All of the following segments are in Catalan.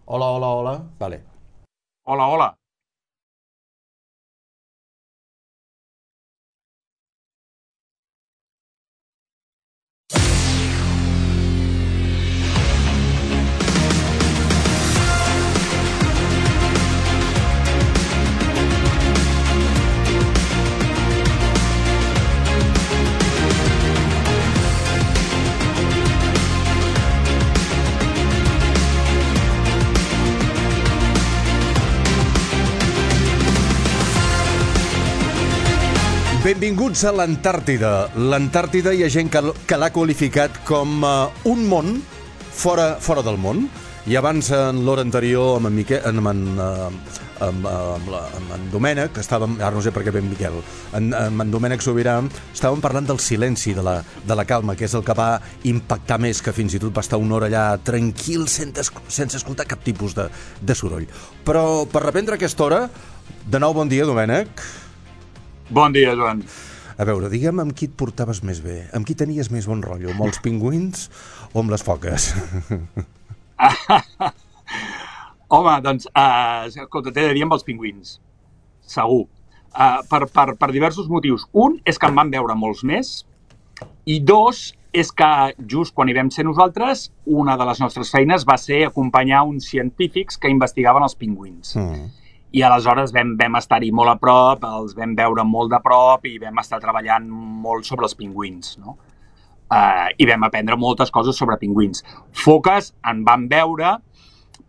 Hola, hola, hola. Vale. Hola, hola. Benvinguts a l'Antàrtida. L'Antàrtida hi ha gent que l'ha qualificat com un món fora del món. I abans, en l'hora anterior, amb en Miquel, amb en Domènec, estàvem, ara no sé per què ben Miquel, amb en Domènec Sobirà, estàvem parlant del silenci, de la calma, que és el que va impactar més, que fins i tot va estar una hora allà tranquil, sense escoltar cap tipus de soroll. Però per reprendre aquesta hora, de nou bon dia, Domènec. Bon dia, Joan. A veure, digue'm amb qui et portaves més bé, amb qui tenies més bon rotllo, amb els pingüins o amb les foques? Home, doncs, escolta, t'he de dir amb els pingüins. Segur. Per diversos motius. Un és que en van veure molts més i dos és que just quan hi vam ser nosaltres, una de les nostres feines va ser acompanyar uns científics que investigaven els pingüins. I aleshores vam estar-hi molt a prop, els vam veure molt de prop i vam estar treballant molt sobre els pingüins, no? I vam aprendre moltes coses sobre pingüins. Foques en vam veure,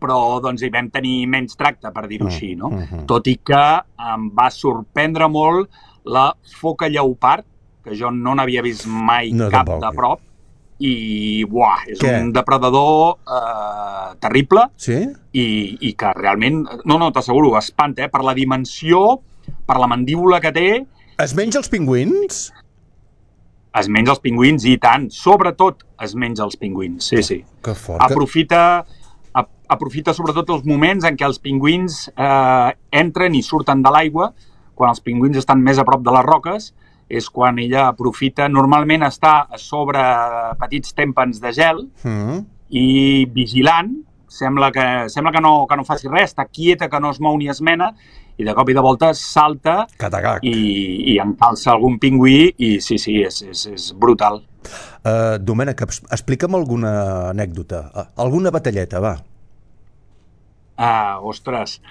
però doncs hi vam tenir menys tracte, per dir-ho així, no? Tot i que em va sorprendre molt la foca lleopard, que jo no n'havia vist mai cap de prop, i és un depredador terrible. Sí? I que realment, no, t'asseguro, espanta, per la dimensió, per la mandíbula que té. Es menja els pingüins? Es menja els pingüins i tant, sobretot es menja els pingüins, sí. Que fort. Aprofita sobretot els moments en què els pingüins entren i surten de l'aigua, quan els pingüins estan més a prop de les roques, és quan ella aprofita, normalment està a sobre petits tèmpans de gel i vigilant, sembla que no faci res, està quieta, que no es mou ni es mena, i de cop i de volta salta i encalça algun pingüí i sí, és brutal. Domènec, explica'm alguna anècdota, alguna batalleta, va. Ostres...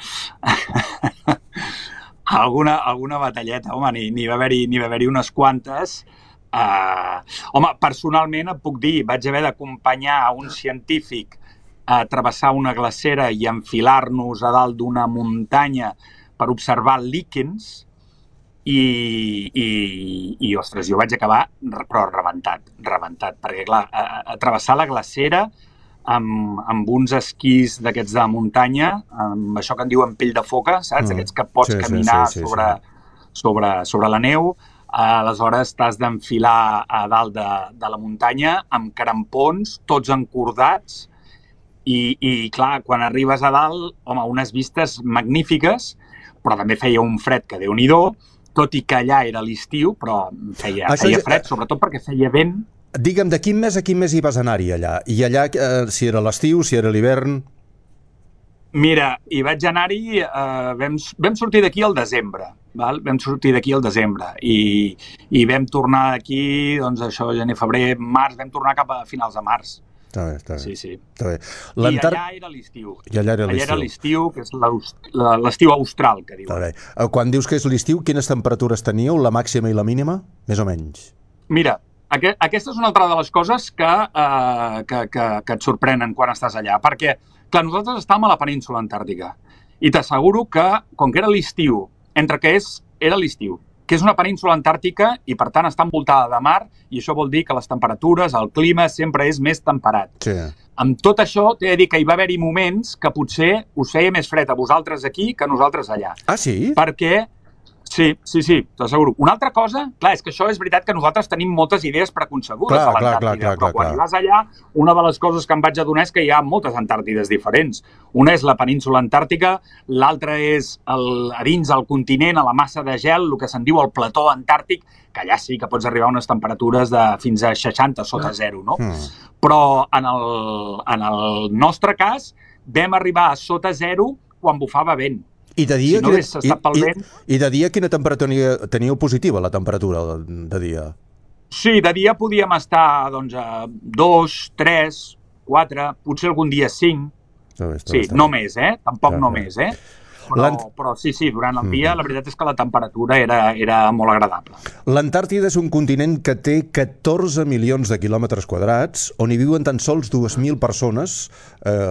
alguna batalleta, home, n'hi va haver-hi unes quantes. Home, personalment et puc dir, vaig haver d'acompanyar a un científic a travessar una glacera i enfilar-nos a dalt d'una muntanya per observar líquens i ostres, jo vaig acabar però rebentat, perquè clar, a travessar la glacera amb uns esquís d'aquests de muntanya, amb això que en diuen pell de foca, saps? Aquests que pots caminar sobre la neu, aleshores t'has d'enfilar a dalt de la muntanya amb crampons, tots encordats, i clar, quan arribes a dalt, home, unes vistes magnífiques, però també feia un fred que Déu-n'hi-do, tot i que allà era l'estiu, però feia fred, sobretot perquè feia vent. Digue'm, de quin mes a quin mes hi vas anar-hi allà? I allà, si era l'estiu, si era l'hivern? Mira, hi vaig anar-hi, vam sortir d'aquí al desembre, val? Vam sortir d'aquí al desembre i vam tornar d'aquí, doncs això, gener, febrer, març, vam tornar cap a finals de març. Està bé. Sí. Està bé. I allà era l'estiu. Allà era l'estiu, que és l'estiu austral, que diuen. Està bé. Quan dius que és l'estiu, quines temperatures teníeu, la màxima i la mínima? Més o menys. Mira, aquesta és una altra de les coses que et sorprenen quan estàs allà, perquè, clar, nosaltres estàvem a la península antàrtica i t'asseguro que, com que era l'estiu, entre que era l'estiu, que és una península antàrtica i, per tant, està envoltada de mar, i això vol dir que les temperatures, el clima, sempre és més temperat. Sí. Amb tot això, t'he de dir que hi va haver-hi moments que potser us feia més fred a vosaltres aquí que a nosaltres allà. Ah, sí? Perquè... Sí, t'asseguro. Una altra cosa, clar, és que això és veritat que nosaltres tenim moltes idees preconcebudes a l'Antàrtida, però quan hi vas allà, una de les coses que em vaig adonar és que hi ha moltes Antàrtides diferents. Una és la península antàrtica, l'altra és a dins el continent, a la massa de gel, el que se'n diu el plató antàrtic, que allà sí que pots arribar a unes temperatures de fins a 60 sota zero, no? Però en el nostre cas, vam arribar a sota zero quan bufava vent. I de dia, Si no hagués estat pel vent... I de dia quina temperatura teníeu positiva, la temperatura de dia? Sí, de dia podíem estar doncs, a 2, 3, 4, potser algun dia 5. Sí, no més, tampoc no més, Però sí, durant el dia la veritat és que la temperatura era molt agradable. L'Antàrtida és un continent que té 14 milions de quilòmetres quadrats, on hi viuen tan sols 2.000 persones,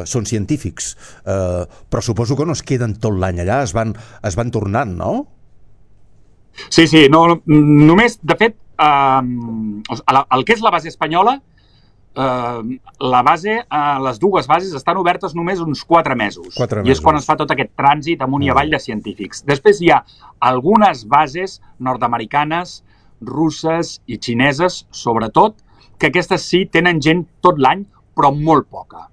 són científics, però suposo que no es queden tot l'any allà, es van tornant, no? Sí, només, de fet, el que és la base espanyola, les dues bases estan obertes només uns 4 mesos. I és quan es fa tot aquest trànsit amunt i avall de científics. Després hi ha algunes bases nord-americanes, russes i xineses, sobretot, que aquestes sí tenen gent tot l'any, però molt poca.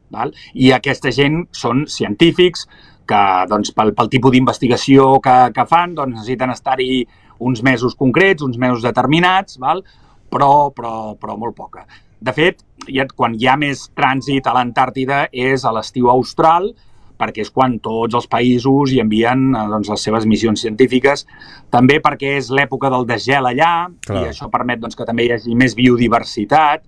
Val? I aquesta gent són científics que doncs, pel tipus d'investigació que fan doncs, necessiten estar-hi uns mesos concrets, uns mesos determinats, val? Però molt poca. De fet, quan hi ha més trànsit a l'Antàrtida és a l'estiu austral, perquè és quan tots els països hi envien doncs, les seves missions científiques, també perquè és l'època del desgel allà, i això permet doncs, que també hi hagi més biodiversitat.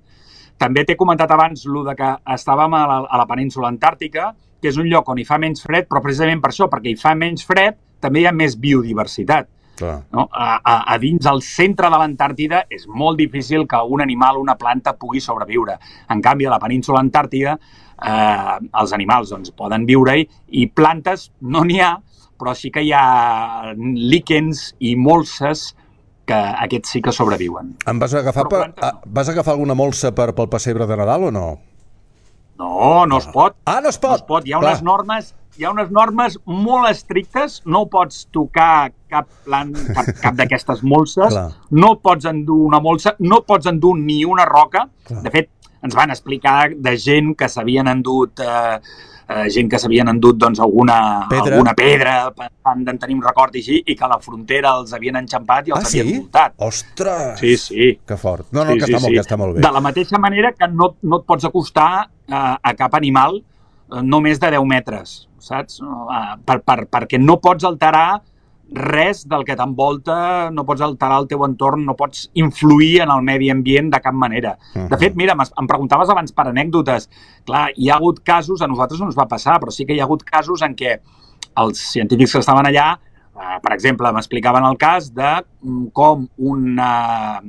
També t'he comentat abans el que estàvem a la península antàrtica, que és un lloc on hi fa menys fred, però precisament per això, perquè hi fa menys fred, també hi ha més biodiversitat. No? A dins el centre de l'Antàrtida és molt difícil que un animal o una planta pugui sobreviure. En canvi, a la península antàrtica els animals doncs, poden viure-hi i plantes no n'hi ha, però sí que hi ha líquens i molses que aquests sí que sobreviuen. Vas agafar alguna molsa pel pessebre de Nadal o no? No es pot. No es pot? Hi ha unes normes molt estrictes, no pots tocar cap d'aquestes molses, no pots endur una molsa, no pots endur ni una roca. De fet, ens van explicar de gent que s'havien endut doncs, alguna pedra pensant de tenir un record així, i que a la frontera els havien enxampat i els havien multat. Ostres! Sí. Que fort. Que està molt bé. De la mateixa manera que no et pots acostar a cap animal no més de 10 metres, saps? Perquè no pots alterar res del que t'envolta, no pots alterar el teu entorn, no pots influir en el medi ambient de cap manera. De fet, mira, em preguntaves abans per anècdotes. Clar, hi ha hagut casos, a nosaltres no ens va passar, però sí que hi ha hagut casos en què els científics que estaven allà, per exemple, m'explicaven el cas de com una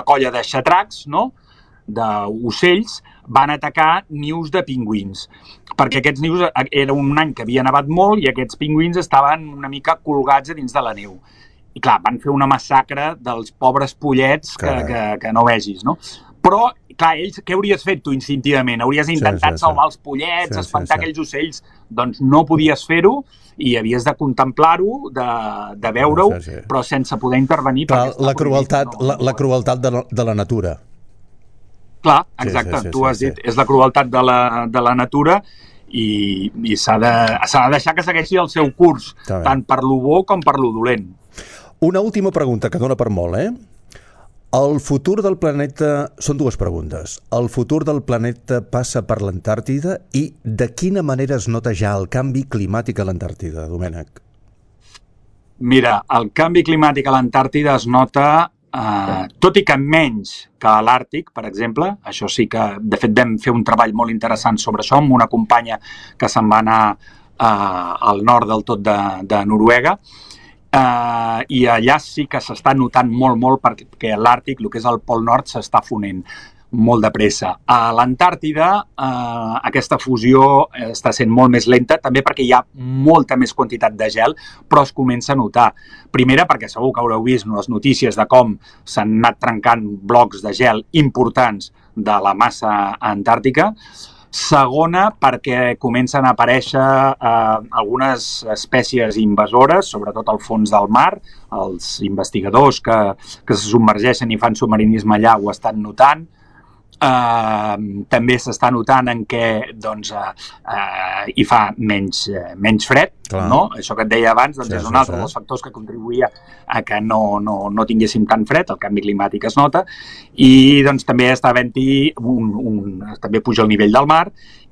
colla de xatracs, no?, d'ocells, van atacar nius de pingüins. Perquè aquests nius era un any que havia nevat molt i aquests pingüins estaven una mica colgats a dins de la neu. I clar, van fer una massacre dels pobres pollets que no vegis, no? Però, clar, ells, què hauries fet tu instintivament? Hauries intentat salvar els pollets, espantar aquells ocells? Doncs no podies fer-ho i havies de contemplar-ho, de veure-ho, però sense poder intervenir. Clar, la crueltat de la natura. Clar, exacte, tu has dit, és la crueltat de la natura i s'ha de deixar que segueixi el seu curs, tant per lo bo com per lo dolent. Una última pregunta que dona per molt, El futur del planeta... Són dues preguntes. El futur del planeta passa per l'Antàrtida i de quina manera es nota ja el canvi climàtic a l'Antàrtida, Domènec? Mira, el canvi climàtic a l'Antàrtida es nota... tot i que menys que a l'Àrtic, per exemple, això sí que, de fet, vam fer un treball molt interessant sobre això amb una companya que se'n va anar al nord del tot de Noruega, i allà sí que s'està notant molt perquè a l'Àrtic, el que és el Pol Nord, s'està fonent molt de pressa. A l'Antàrtida aquesta fusió està sent molt més lenta, també perquè hi ha molta més quantitat de gel, però es comença a notar. Primera, perquè segur que haureu vist les notícies de com s'han anat trencant blocs de gel importants de la massa antàrtica. Segona, perquè comencen a aparèixer algunes espècies invasores, sobretot al fons del mar. Els investigadors que se submergeixen i fan submarinisme allà ho estan notant. també s'està notant en què doncs, hi fa menys fred, no? Això que et deia abans doncs és un altre dels factors que contribuïa a que no tinguéssim tant fred, el canvi climàtic es nota, i doncs també està havent-hi també puja el nivell del mar,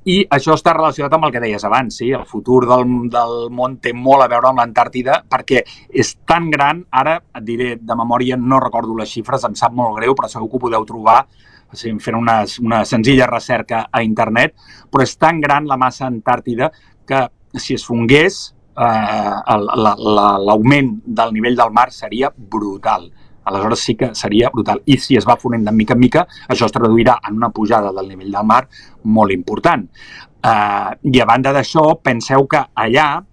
i això està relacionat amb el que deies abans, sí? El futur del món té molt a veure amb l'Antàrtida perquè és tan gran, ara et diré de memòria, no recordo les xifres, em sap molt greu, però segur que ho podeu trobar fent una senzilla recerca a internet, però és tan gran la massa antàrtida que si es fongués l'augment del nivell del mar seria brutal. Aleshores sí que seria brutal. I si es va fonent de mica en mica, això es traduirà en una pujada del nivell del mar molt important. I a banda d'això, penseu que allà,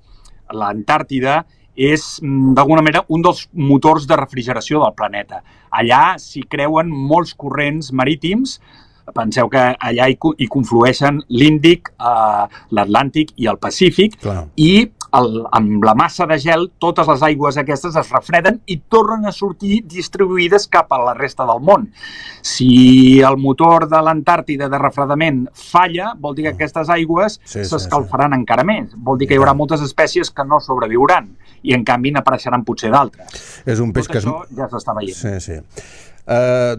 l'Antàrtida, és d'alguna manera un dels motors de refrigeració del planeta. Allà s'hi creuen molts corrents marítims, penseu que allà hi conflueixen l'Índic, l'Atlàntic i el Pacífic, i amb la massa de gel totes les aigües aquestes es refreden i tornen a sortir distribuïdes cap a la resta del món. Si el motor de l'Antàrtida de refredament falla, vol dir que aquestes aigües s'escalfaran encara més. Vol dir que hi haurà moltes espècies que no sobreviuran i en canvi n'apareixeran potser d'altres. És un peix que això ja s'està veient. Sí.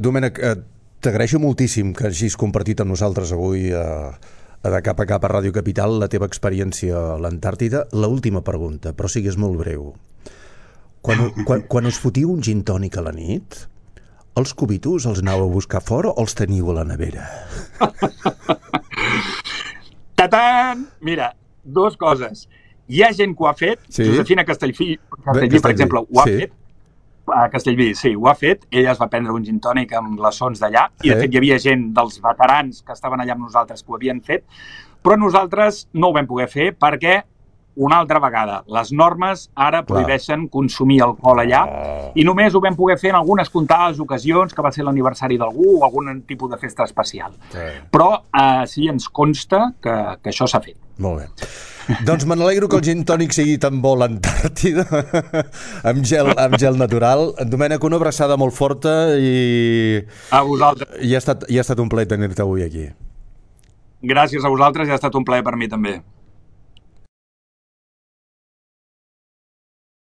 Domènec, t'agraeixo moltíssim que hagis compartit amb nosaltres avui de cap a cap a Ràdio Capital la teva experiència a l'Antàrtida. L'última pregunta, però sigues molt breu. Quan us fotiu un gin tònic a la nit, els cubitos els aneu a buscar fora o els teniu a la nevera? Tatant! Mira, dues coses. Hi ha gent que ho ha fet, Josefina Castellví, per exemple, ho ha fet, a Castellví, sí, ho ha fet. Ella es va prendre un gin tònic amb glaçons d'allà i, de fet, hi havia gent dels veterans que estaven allà amb nosaltres que ho havien fet, però nosaltres no ho vam poder fer perquè, una altra vegada, les normes ara prohibeixen consumir alcohol allà i només ho vam poder fer en algunes comptades ocasions, que va ser l'aniversari d'algú o algun tipus de festa especial. Però sí ens consta que això s'ha fet. Molt bé. Doncs me n'alegro que el gin tònic sigui tan bo a l'Antàrtida, amb gel natural. Domènec, una abraçada molt forta i... A vosaltres. I ha estat un plaer tenir-te avui aquí. Gràcies a vosaltres i ha estat un plaer per mi també.